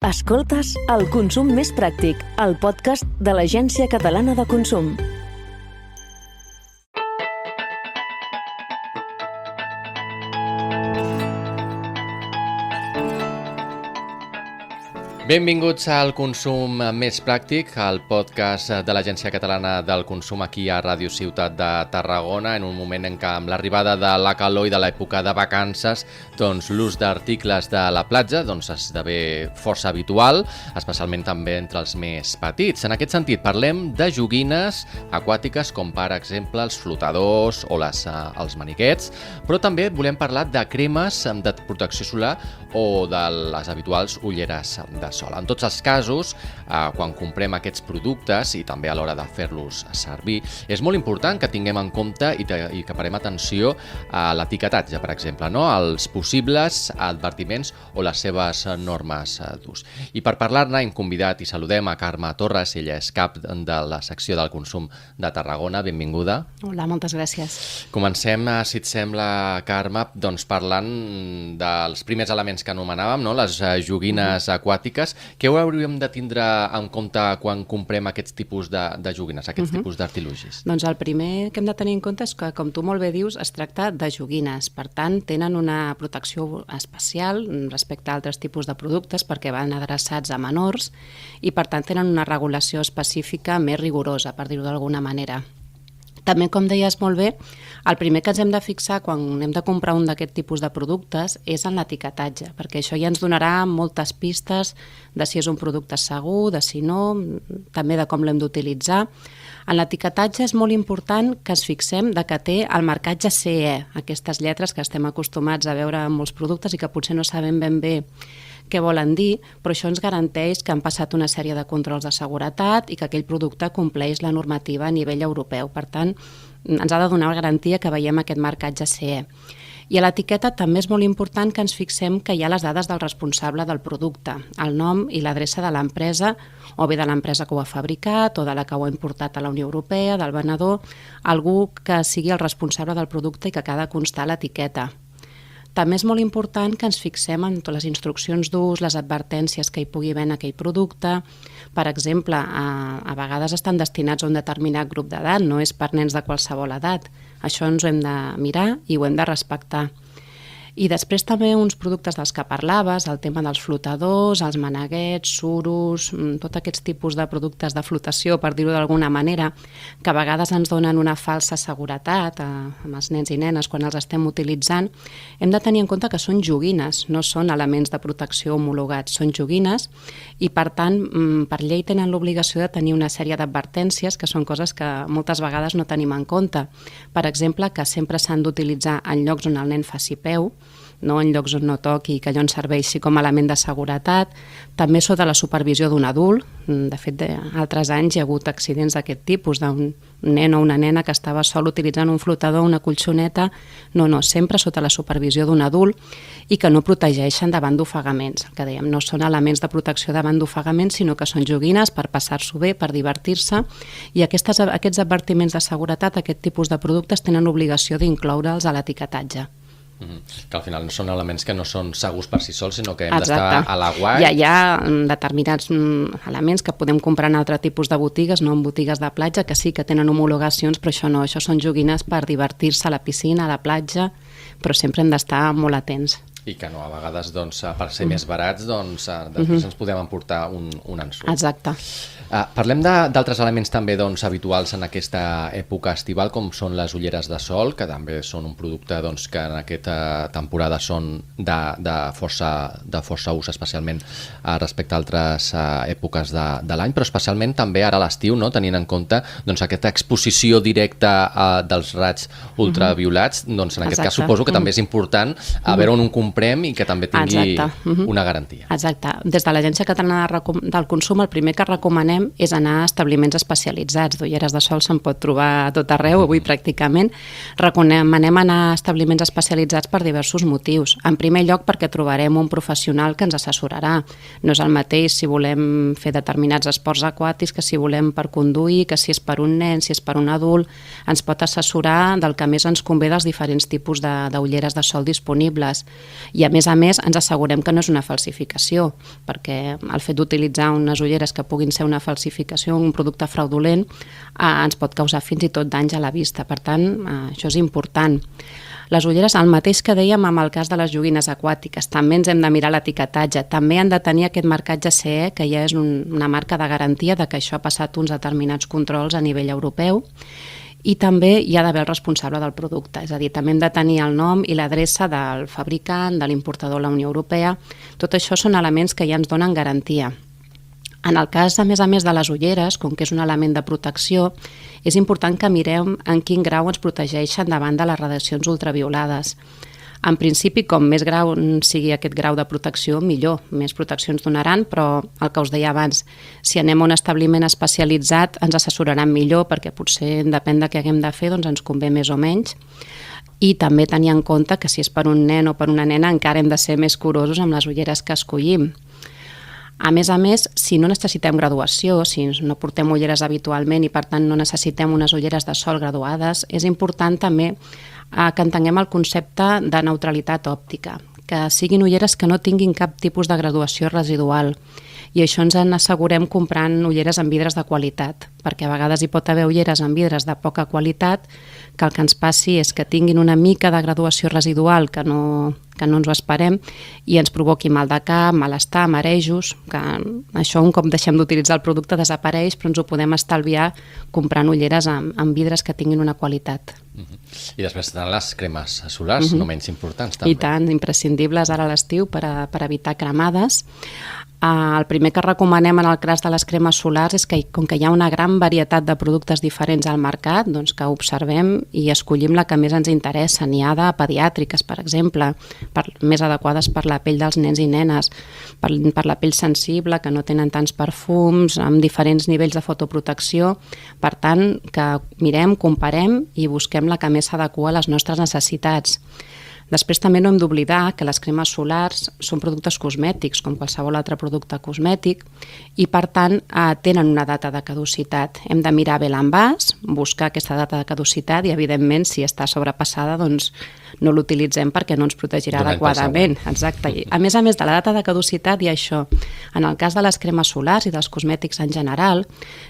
Escoltes El Consum Més Pràctic, el podcast de l'Agència Catalana de Consum. Benvinguts al Consum Més Pràctic, el podcast de l'Agència Catalana del Consum aquí a Ràdio Ciutat de Tarragona, en un moment en què amb l'arribada de la calor i de l'època de vacances, l'ús d'articles de la platja esdevé força habitual, especialment també entre els més petits. En aquest sentit, parlem de joguines aquàtiques com per exemple els flotadors o els maniquets, però també volem parlar de cremes de protecció solar o de les habituals ulleres de sol. En tots els casos, quan comprem aquests productes i també a l'hora de fer-los servir, és molt important que tinguem en compte i que parem atenció a l'etiquetatge, per exemple, als possibles advertiments o les seves normes d'ús. I per parlar-ne hem convidat i saludem a Carme Torres, ella és cap de la secció del consum de Tarragona. Benvinguda. Hola, moltes gràcies. Comencem, si et sembla, Carme, parlant dels primers elements que anomenàvem, les joguines aquàtiques. Què hauríem de tindre en compte quan comprem aquests tipus de joguines, aquests tipus d'artilugis? Doncs el primer que hem de tenir en compte és que, com tu molt bé dius, es tracta de joguines. Per tant, tenen una protecció especial respecte a altres tipus de productes perquè van adreçats a menors i, per tant, tenen una regulació específica més rigorosa, per dir-ho d'alguna manera. També, com deies molt bé, el primer que ens hem de fixar quan hem de comprar un d'aquest tipus de productes és en l'etiquetatge, perquè això ja ens donarà moltes pistes de si és un producte segur, de si no, també de com l'hem d'utilitzar. En l'etiquetatge és molt important que ens fixem de que té el marcatge CE, aquestes lletres que estem acostumats a veure en molts productes i que potser no sabem ben bé què volen dir, però això ens garanteix que han passat una sèrie de controls de seguretat i que aquell producte compleix la normativa a nivell europeu. Per tant, ens ha de donar garantia que veiem aquest marcatge CE. I a l'etiqueta també és molt important que ens fixem que hi ha les dades del responsable del producte, el nom i l'adreça de l'empresa, o bé de l'empresa que ho ha fabricat o de la que ho ha importat a la Unió Europea, del venedor, algú que sigui el responsable del producte i que ha de constar a l'etiqueta. També és molt important que ens fixem en totes les instruccions d'ús, les advertències que hi pugui haver en aquell producte. Per exemple, a vegades estan destinats a un determinat grup d'edat, no és per nens de qualsevol edat. Això ens ho hem de mirar i ho hem de respectar. I després també uns productes dels que parlaves, el tema dels flotadors, els maneguets, suros, tots aquests tipus de productes de flotació, per dir-ho d'alguna manera, que a vegades ens donen una falsa seguretat amb els nens i nenes quan els estem utilitzant. Hem de tenir en compte que són joguines, no són elements de protecció homologats, són joguines i, per tant, per llei tenen l'obligació de tenir una sèrie d'advertències que són coses que moltes vegades no tenim en compte. Per exemple, que sempre s'han d'utilitzar en llocs on el nen faci peu, no en llocs on no toqui i que allò ens serveixi com a element de seguretat, també sota la supervisió d'un adult. De fet, altres anys hi ha hagut accidents d'aquest tipus, d'un nen o una nena que estava sol utilitzant un flotador, una colxoneta, no, sempre sota la supervisió d'un adult i que no protegeixen davant d'ofegaments. El que dèiem, no són elements de protecció davant d'ofegaments, sinó que són joguines per passar-s'ho bé, per divertir-se, i aquests advertiments de seguretat, aquest tipus de productes, tenen l'obligació d'incloure'ls a l'etiquetatge. Que al final no són elements que no són segurs per si sols, sinó que hem d'estar a l'aguait. Hi ha determinats elements que podem comprar en altre tipus de botigues, no en botigues de platja, que sí que tenen homologacions, però això no, això són joguines per divertir-se a la piscina, a la platja, però sempre hem d'estar molt atents. I que no, a vegades, per ser més barats, després ens podem emportar un ensurt. Exacte. Parlem d'altres elements també habituals en aquesta època estival, com són les ulleres de sol, que també són un producte que en aquesta temporada són de força ús, especialment respecte a altres èpoques de l'any, però especialment també ara a l'estiu, tenint en compte aquesta exposició directa dels raigs ultraviolats, en aquest cas suposo que també és important a veure on un comprem i que també tingui una garantia. Exacte. Des de l'Agència Catalana del Consum el primer que recomanem és anar a establiments especialitzats. D'ulleres de sol se'n pot trobar a tot arreu, avui pràcticament. Recomanem anar a establiments especialitzats per diversos motius. En primer lloc, perquè trobarem un professional que ens assessorarà. No és el mateix si volem fer determinats esports aquàtics que si volem per conduir, que si és per un nen, si és per un adult. Ens pot assessorar del que més ens convé dels diferents tipus d'ulleres de sol disponibles. I a més ens assegurem que no és una falsificació, perquè el fet d'utilitzar unes ulleres que puguin ser una falsificació, un producte fraudulent, ens pot causar fins i tot danys a la vista. Per tant, això és important. Les ulleres, el mateix que dèiem amb el cas de les joguines aquàtiques, també ens hem de mirar l'etiquetatge, també han de tenir aquest marcatge CE, que ja és una marca de garantia de que això ha passat uns determinats controls a nivell europeu, i també hi ha d'haver el responsable del producte, és a dir, també hem de tenir el nom i l'adreça del fabricant, de l'importador a la Unió Europea. Tot això són elements que ja ens donen garantia. En el cas, a més de les ulleres, com que és un element de protecció, és important que mirem en quin grau ens protegeixen davant de les radiacions ultraviolades. En principi, com més grau sigui aquest grau de protecció, millor, més protecció ens donaran, però el que us deia abans, si anem a un establiment especialitzat ens assessoraran millor, perquè potser depèn de què haguem de fer, doncs ens convé més o menys. I també tenir en compte que si és per un nen o per una nena encara hem de ser més curosos amb les ulleres que escollim. A més, si no necessitem graduació, si no portem ulleres habitualment i per tant no necessitem unes ulleres de sol graduades, és important també que entenguem el concepte de neutralitat òptica, que siguin ulleres que no tinguin cap tipus de graduació residual. I això ens en assegurem comprant ulleres amb vidres de qualitat, perquè a vegades hi pot haver ulleres amb vidres de poca qualitat que el que ens passi és que tinguin una mica de graduació residual que no ens ho esperem i ens provoqui mal de cap, malestar, marejos, que això un cop deixem d'utilitzar el producte desapareix, però ens ho podem estalviar comprant ulleres amb vidres que tinguin una qualitat. I després tenen les cremes solars, no menys importants també. I tant, imprescindibles ara a l'estiu per evitar cremades. El primer que recomanem en el cas de les cremes solars és que, com que hi ha una gran varietat de productes diferents al mercat, doncs que observem i escollim la que més ens interessa. N'hi ha de pediàtriques, per exemple, més adequades per la pell dels nens i nenes, per la pell sensible, que no tenen tants perfums, amb diferents nivells de fotoprotecció. Per tant, que mirem, comparem i busquem la que més s'adequa a les nostres necessitats. Després també no hem d'oblidar que les cremes solars són productes cosmètics, com qualsevol altre producte cosmètic, i per tant tenen una data de caducitat. Hem de mirar bé l'envàs, buscar aquesta data de caducitat i, evidentment, si està sobrepassada, doncs no l'utilitzem perquè no ens protegirà adequadament. Exacte. A més de la data de caducitat hi ha això. En el cas de les cremes solars i dels cosmètics en general,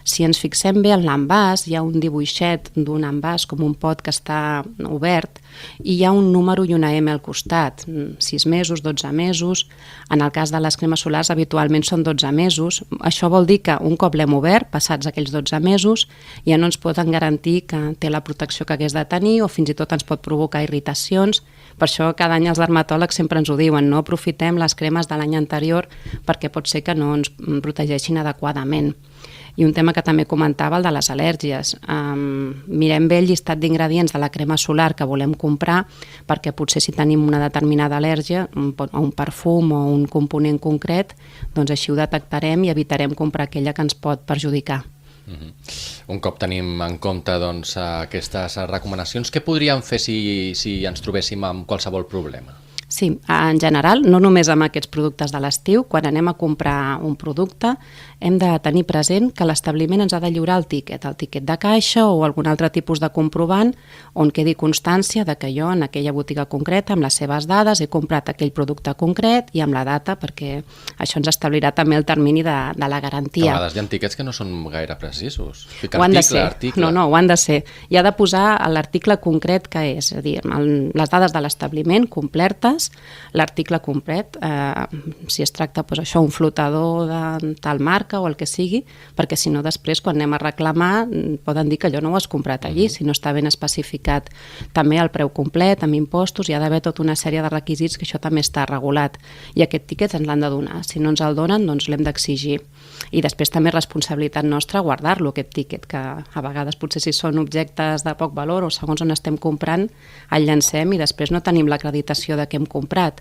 si ens fixem bé en l'envàs, hi ha un dibuixet d'un envàs com un pot que està obert i hi ha un número i una M al costat, 6 mesos, 12 mesos. En el cas de les cremes solars habitualment són 12 mesos. Això vol dir que un cop l'hem obert, passats aquells 12 mesos, ja no ens poden garantir que té la protecció que hagués de tenir o fins i tot ens pot provocar irritacions. Per això cada any els dermatòlegs sempre ens ho diuen, no aprofitem les cremes de l'any anterior perquè pot ser que no ens protegeixin adequadament. I un tema que també comentava, el de les al·lèrgies. Mirem bé el llistat d'ingredients de la crema solar que volem comprar, perquè potser si tenim una determinada al·lèrgia, o un perfum o un component concret, doncs així ho detectarem i evitarem comprar aquella que ens pot perjudicar. Un cop tenim en compte aquestes recomanacions, què podríem fer si ens trobéssim amb qualsevol problema? Sí, en general, no només amb aquests productes de l'estiu, quan anem a comprar un producte hem de tenir present que l'establiment ens ha de lliurar el tiquet de caixa o algun altre tipus de comprovant on quedi constància de que jo en aquella botiga concreta, amb les seves dades, he comprat aquell producte concret i amb la data, perquè això ens establirà també el termini de la garantia. A vegades hi ha tiquets que no són gaire precisos. Ho han de ser. No, ho han de ser. I ha de posar l'article concret que és a dir, les dades de l'establiment complertes, l'article complet, si es tracta això, un flotador de tal marca o el que sigui, perquè si no després quan anem a reclamar poden dir que allò no ho has comprat allí, si no està ben especificat. També el preu complet, amb impostos, hi ha d'haver tota una sèrie de requisits que això també està regulat i aquest tiquet ens l'han de donar. Si no ens el donen, doncs l'hem d'exigir. I després també és responsabilitat nostra guardar-lo, aquest tiquet, que a vegades potser si són objectes de poc valor o segons on estem comprant, el llancem i després no tenim l'acreditació de què hem comprat.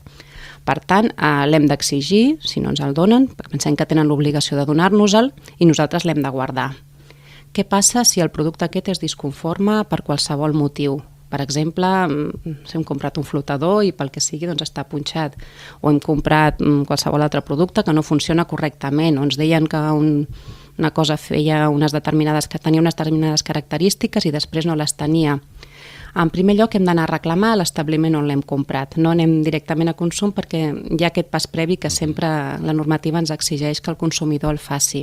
Per tant, l'hem d'exigir, si no ens el donen, perquè pensem que tenen l'obligació de donar-nos-el i nosaltres l'hem de guardar. Què passa si el producte aquest és disconforme per qualsevol motiu? Per exemple, si hem comprat un flotador i pel que sigui doncs està punxat, o hem comprat qualsevol altre producte que no funciona correctament, o ens deien que una cosa tenia unes determinades característiques i després no les tenia. En primer lloc hem d'anar a reclamar a l'establiment on l'hem comprat. No anem directament a consum perquè hi ha aquest pas previ que sempre la normativa ens exigeix que el consumidor el faci.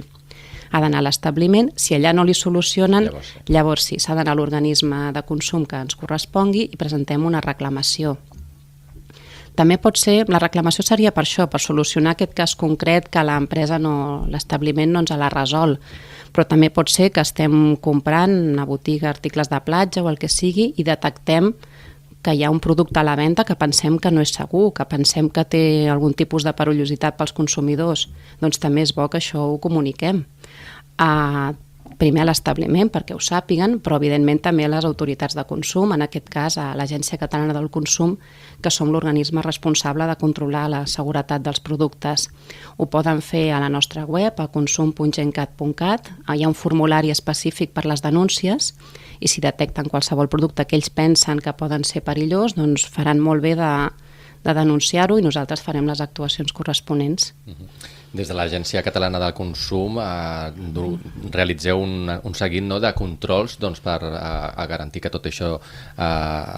Ha d'anar a l'establiment, si allà no li solucionen, llavors sí, s'ha d'anar a l'organisme de consum que ens correspongui i presentem una reclamació. També pot ser, la reclamació seria per això, per solucionar aquest cas concret que l'empresa l'establiment no ens l'ha resolt, però també pot ser que estem comprant una botiga, articles de platja o el que sigui i detectem que hi ha un producte a la venda que pensem que no és segur, que pensem que té algun tipus de perillositat pels consumidors, doncs també és bo que això ho comuniquem. Primer a l'establiment perquè ho sàpiguen, però evidentment també a les autoritats de consum, en aquest cas a l'Agència Catalana del Consum, que som l'organisme responsable de controlar la seguretat dels productes. Ho poden fer a la nostra web, a consum.gencat.cat, hi ha un formulari específic per les denúncies i si detecten qualsevol producte que ells pensen que poden ser perillós, doncs faran molt bé de denunciar-ho i nosaltres farem les actuacions corresponents. Des de l'Agència Catalana del Consum realitzeu un seguit de controls per garantir que tot això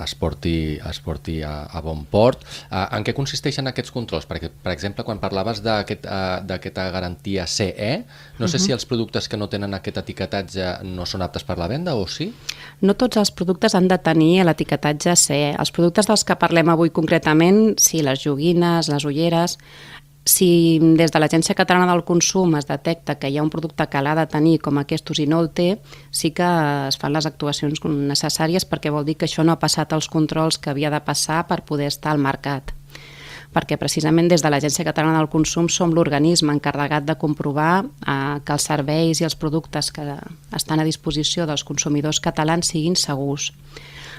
es porti a bon port. En què consisteixen aquests controls? Perquè, per exemple, quan parlaves d'aquesta garantia CE, no sé si els productes que no tenen aquest etiquetatge no són aptes per la venda o sí? No tots els productes han de tenir l'etiquetatge CE. Els productes dels que parlem avui concretament, sí, les joguines, les ulleres. Si des de l'Agència Catalana del Consum es detecta que hi ha un producte que l'ha de tenir com aquests i no el té, sí que es fan les actuacions necessàries perquè vol dir que això no ha passat els controls que havia de passar per poder estar al mercat. Perquè precisament des de l'Agència Catalana del Consum som l'organisme encarregat de comprovar que els serveis i els productes que estan a disposició dels consumidors catalans siguin segurs.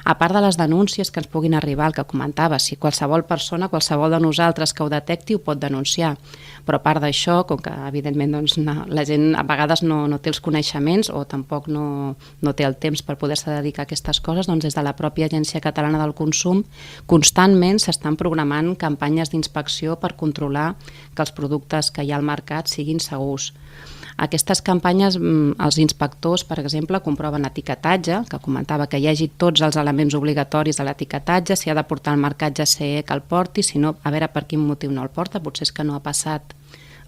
A part de les denúncies que ens puguin arribar, el que comentava, si qualsevol persona, qualsevol de nosaltres que ho detecti ho pot denunciar. Però a part d'això, com que evidentment la gent a vegades no té els coneixements o tampoc no té el temps per poder-se dedicar a aquestes coses, doncs des de la pròpia Agència Catalana del Consum constantment s'estan programant campanyes d'inspecció per controlar que els productes que hi ha al mercat siguin segurs. Aquestes campanyes, els inspectors, per exemple, comproven etiquetatge, que comentava que hi hagi tots els elements obligatoris de l'etiquetatge, si ha de portar el marcatge CE que el porti, si no, a veure per quin motiu no el porta, potser és que no ha passat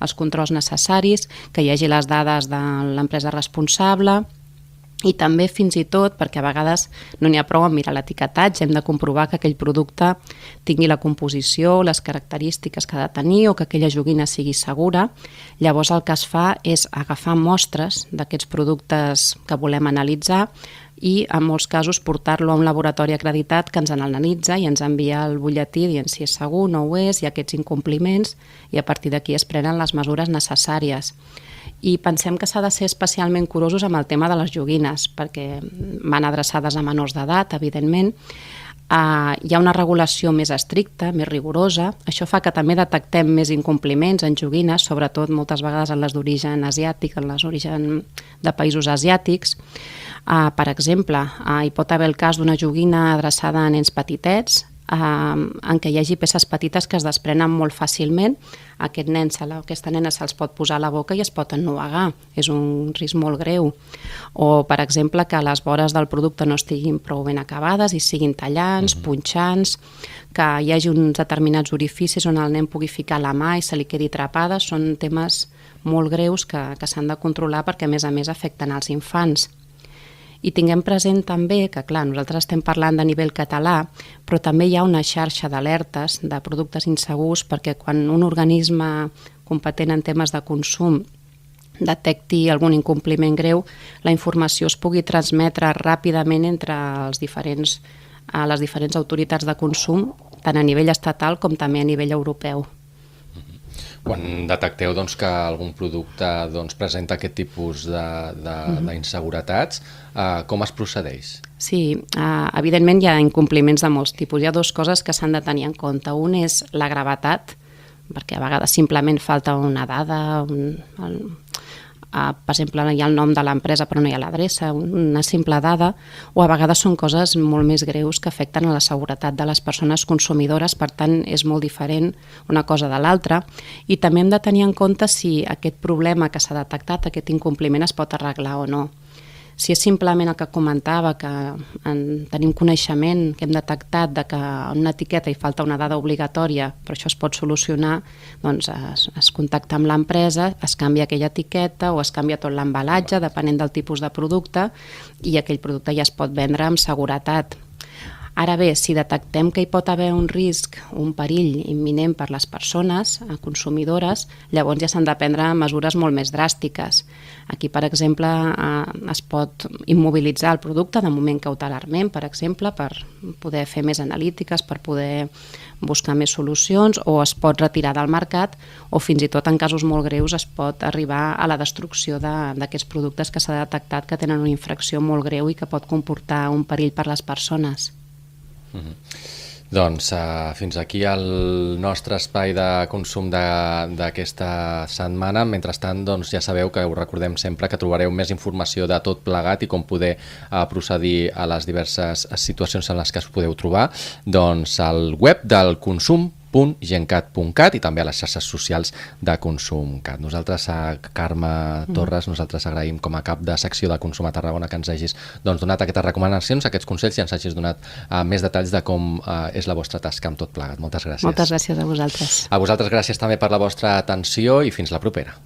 els controls necessaris, que hi hagi les dades de l'empresa responsable i també fins i tot, perquè a vegades no n'hi ha prou a mirar l'etiquetatge, hem de comprovar que aquell producte tingui la composició, les característiques que ha de tenir o que aquella joguina sigui segura. Llavors el que es fa és agafar mostres d'aquests productes que volem analitzar i en molts casos portar-lo a un laboratori acreditat que ens analitza i ens envia el butlletí dient si és segur, no ho és, hi ha aquests incompliments i a partir d'aquí es prenen les mesures necessàries. I pensem que s'ha de ser especialment curosos amb el tema de les joguines, perquè van adreçades a menors d'edat, evidentment. Hi ha una regulació més estricta, més rigorosa. Això fa que també detectem més incompliments en joguines, sobretot moltes vegades en les d'origen asiàtic, en les d'origen de països asiàtics. Per exemple, hi pot haver el cas d'una joguina adreçada a nens petitets, en què hi hagi peces petites que es desprenen molt fàcilment. Aquest nen, aquesta nena se'ls pot posar a la boca i es pot ennuegar. És un risc molt greu. O, per exemple, que les vores del producte no estiguin prou ben acabades i siguin tallants, punxants, que hi hagi uns determinats orificis on el nen pugui ficar la mà i se li quedi atrapada. Són temes molt greus que s'han de controlar perquè, a més, afecten als infants. I tinguem present també que, clar, nosaltres estem parlant de nivell català, però també hi ha una xarxa d'alertes de productes insegurs perquè quan un organisme competent en temes de consum detecti algun incompliment greu, la informació es pugui transmetre ràpidament entre les diferents autoritats de consum, tant a nivell estatal com també a nivell europeu. Quan detecteu que algun producte presenta aquest tipus d'inseguretats, com es procedeix? Sí, evidentment hi ha incompliments de molts tipus. Hi ha dues coses que s'han de tenir en compte. Un és la gravetat, perquè a vegades simplement falta una dada, per exemple, hi ha el nom de l'empresa però no hi ha l'adreça, una simple dada, o a vegades són coses molt més greus que afecten a la seguretat de les persones consumidores, per tant és molt diferent una cosa de l'altra. I també hem de tenir en compte si aquest problema que s'ha detectat, aquest incompliment, es pot arreglar o no. Si és simplement el que comentava, que tenim coneixement, que hem detectat de que en una etiqueta hi falta una dada obligatòria, però això es pot solucionar, doncs es contacta amb l'empresa, es canvia aquella etiqueta o es canvia tot l'embalatge, depenent del tipus de producte, i aquell producte ja es pot vendre amb seguretat. Ara bé, si detectem que hi pot haver un risc, un perill imminent per les persones consumidores, llavors ja s'han de prendre mesures molt més dràstiques. Aquí, per exemple, es pot immobilitzar el producte de moment cautelarment, per exemple, per poder fer més analítiques, per poder buscar més solucions, o es pot retirar del mercat, o fins i tot en casos molt greus es pot arribar a la destrucció d'aquests productes que s'ha detectat que tenen una infracció molt greu i que pot comportar un perill per les persones. Doncs fins aquí el nostre espai de consum d'aquesta setmana. Mentrestant, doncs, ja sabeu que us recordem sempre que trobareu més informació de tot plegat i com poder procedir a les diverses situacions en les que us podeu trobar doncs, al web del consum.gencat.cat i també a les xarxes socials de Consum.cat. Nosaltres, a Carme Torres, nosaltres agraïm com a cap de secció de Consum a Tarragona que ens hagis donat aquestes recomanacions, aquests consells i ens hagis donat més detalls de com és la vostra tasca amb tot plegat. Moltes gràcies. Moltes gràcies a vosaltres. A vosaltres gràcies també per la vostra atenció i fins la propera.